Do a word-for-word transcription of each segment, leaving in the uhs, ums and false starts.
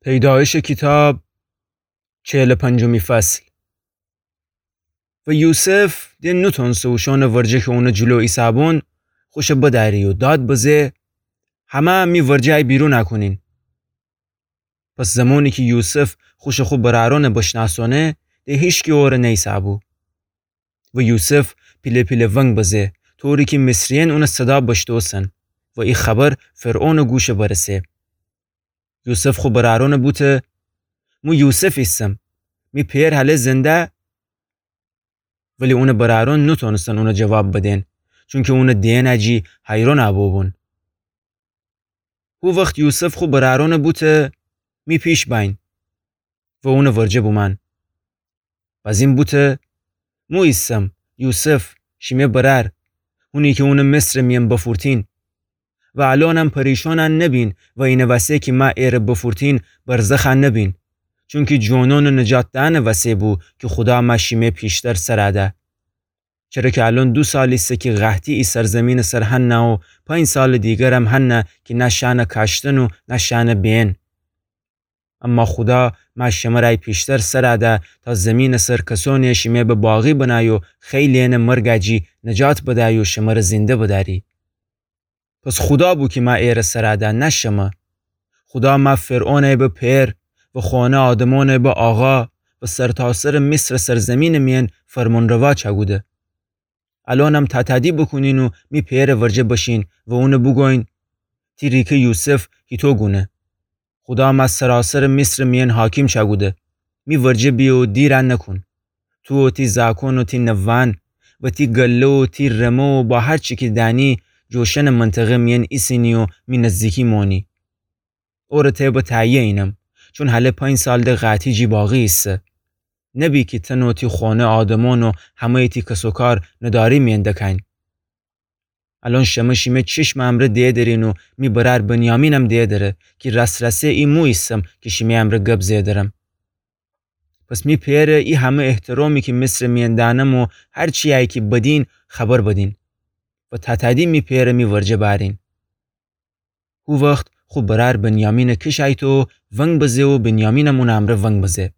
پیدایشٚ کیتاب، چهلٚ پنجمی فصل. و یوسف د نوتونسه اوشأنٚ ورجه کی اونٚ جلو ایسه‌بون، خوشه بدأری و داد بزه: همه می ورجه ای بیرون کونین. پس زمانی کی یوسف خوشه خو برأرأنٚ بشنأسأنه، د هیچکی اوره نیسه‌بو. و یوسف پیله پیله ونگ بزه، طوری کی مصریأن اونٚ صدا بشتوسن و ای خبر فرعونٚ گوشه برسه. یوسف خو برأرأنٚ بوته: مو یوسف ایسم، می پئر هله زنده؟ ولی اونٚ برأرأن نوتونستن اونه جواب بدن، چونکی اونٚ دئنٚ جی حیرأن بوبون. هو وخت یوسف خو برأرأنٚ بوته: می پیش بأین و اونٚ ورجه بومأن. بزین بوته: مو ایسم، یوسف، شیمه برأر، هونی کی اونه مصرٚ میأن بفورتین. و الأنم پریشأن نبین و اینٚ وسه کی مه ایره بفورتین برزخ نبین، چونکی جونأنٚ نجات دئنٚ وسه بو کی خودا مه شیمه پیشتر سر ده. چره کی الأن دو سال ایسه کی قحطی ای سرزمینٚ سر هنه و پنج سالٚ دیگرم هنه کی نه شأنٚ کاشتن و نه شأنٚ بیئن. اما خودا مه شمر ای پیشتر سر ده تا زمینٚ سر کسأنی شیمه به باقی بنه و خیلی‌یأنٚ مرگٚ جی نجات بده و شمر زنده بدأری. پس خودا بو کی مه ایره سر ده، نه شمه. خودا مه فرعونٚ به پئر و خانه آدمأنٚ به آقا و سرتاسرٚ مصرٚ سرزمینٚ میأن فرمانروا چأکوده. الأنم تأتأدی بوکونین و می پئرٚ ورجه بشین و اونه بوگوین: تی ریکه یوسف هیتو گونه؟ خودا مه سراسرٚ مصرٚ میأن حاکم چأکوده. می ورجه بیه و دیر نکون. تو و تی زأکون و تی نوه‌یأن و تی گله و تی رمه و با هر چی کی دأنی جوشنٚ منطقه میأن ایسینی و می نزدیکی مونی. اوره تی به تأیه اینم، چون هله پنج سال د قحطی جی باقی ایسه. نبی کی تن و تی خانه آدمأن و همه‌یٚ تی کس‌وکار نداری میأن دکأین. الأن شمه شیمه چشمٚ امرأ دئه درین و می برأر بنیامینم دئه دره کی راس‌راسی ای مو ایسم کی شیمه امرأ گب زئه درم. پس می پئره ای همه احترامی کی مصرٚ میأن دأنم و هر چی‌یی کی بدین خبر بدین و تأتأدی می پئره می ورجه بأرین. هو وخت خو برأر بنیامینٚ کیش ایته و ونگ بزه و بنیامینم اونٚ امرأ ونگ بزه.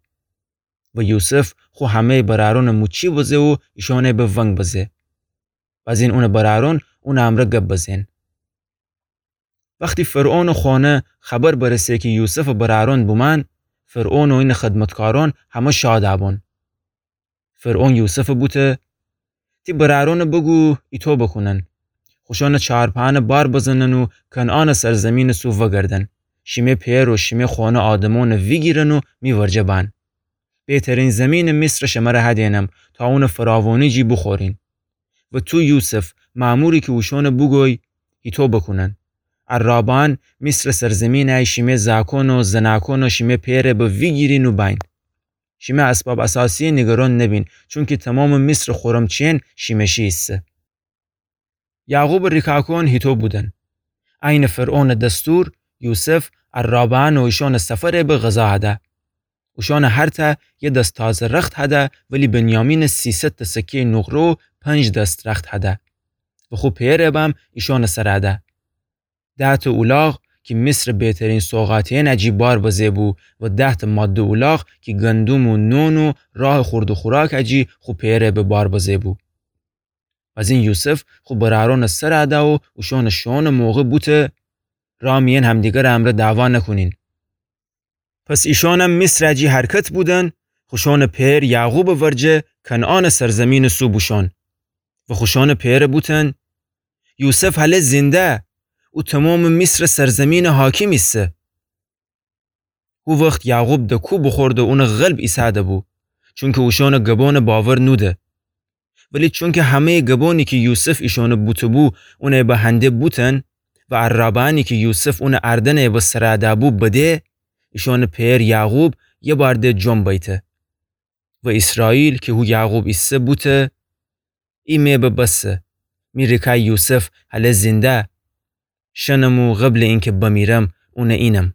و یوسف خو همه‌یٚ برأرأنٚ موچی بزه و ایشأنٚ به ونگ بزه. بزین اونٚ برأرأن اونٚ امرأ گب بزه‌ن. وختی فرعونٚ خانه خبر برسه کی یوسفٚ برأرأن بومأن، فرعون و اینٚ خدمتکارأن همه شاد بون. فرعون یوسف بوته: تی برأرأن بوگو ایتو بوکونن. خوشأنٚ چارپأنه بار بزنن و کنعانٚ سرزمینٚ سو وگردن. شیمه پئر و شیمه خانه آدمأن ویگیرن و می ورجه بأن. بهترین زمینٚ مصر شمر هدینم تا اونٚ فراوانی جی بوخورین. و تو یوسف، مأموری کی اوشأن بوگوی ایتو بوکونن. عرابأن مصرٚ سرزمینه شیمه زأکأن و زنأکأن و شیمه پئره به ویگیرین و بأین. شیمه اسباب اساسیه نیگران نبین، چونکی تومامٚ مصرٚ خورم چین شیمه شی ایسه. یعقوبٚ ریکاکأن هیتو بودن. عینٚ فرعونٚ دستور، یوسف عرابأن و ایشأنٚ سفره به غذا هده. اوشأنٚ هر تأ یه دست تازه رخت هده، ولی بنیامینٚ سیصد تأ سکه‌یٚ نقره و پنج دست رخت هده. و خو پئره بم ایشأنٚ سر هده. ده تأ اولاغ کی مصرٚ بهترین سوغاتی‌یأنٚ جی بار بزه بو و ده تأ ماده اولاغ کی گندم و نون و راه خورد و خوراکٚ جی خو پئره به بار بزه بو. بزین یوسف خو برأرأنٚ سر هده و اوشأنٚ شوئونٚ موقع بوته: راه میأن همدیگرٚ امرأ دعوا نکونین. پس ایشأنم مصرٚ جی حرکت بودن، خوشأنٚ پئر یعقوبٚ ورجه کنعانٚ سرزمینٚ سو بوشون. و خوشأنٚ پئره بوتن: یوسف هله زنده، او تومامٚ مصرٚ سرزمینٚ حاکم ایسه. هو وخت یعقوب دکو بوخورده و اونٚ قلب ایسه‌ده بو، چونکی اوشأنٚ گبأنٚ باور نوده. ولی چونکی همه‌یٚ گبأنی کی یوسف ایشأنٚ بوته‌بو اونٚ به هنده بوتن و عرابأنی کی یوسف اونٚ اردنٚ به سره‌ده بو بده، ایشأنٚ پئر یعقوب یه بار ده جون بیته. و ایسرائیل کی هو یعقوب ایسه بوته: ای مه به بسه، می ریکای یوسف هله زنده، شنم و قبلٚ اینکی بمیرم اونٚ اینم.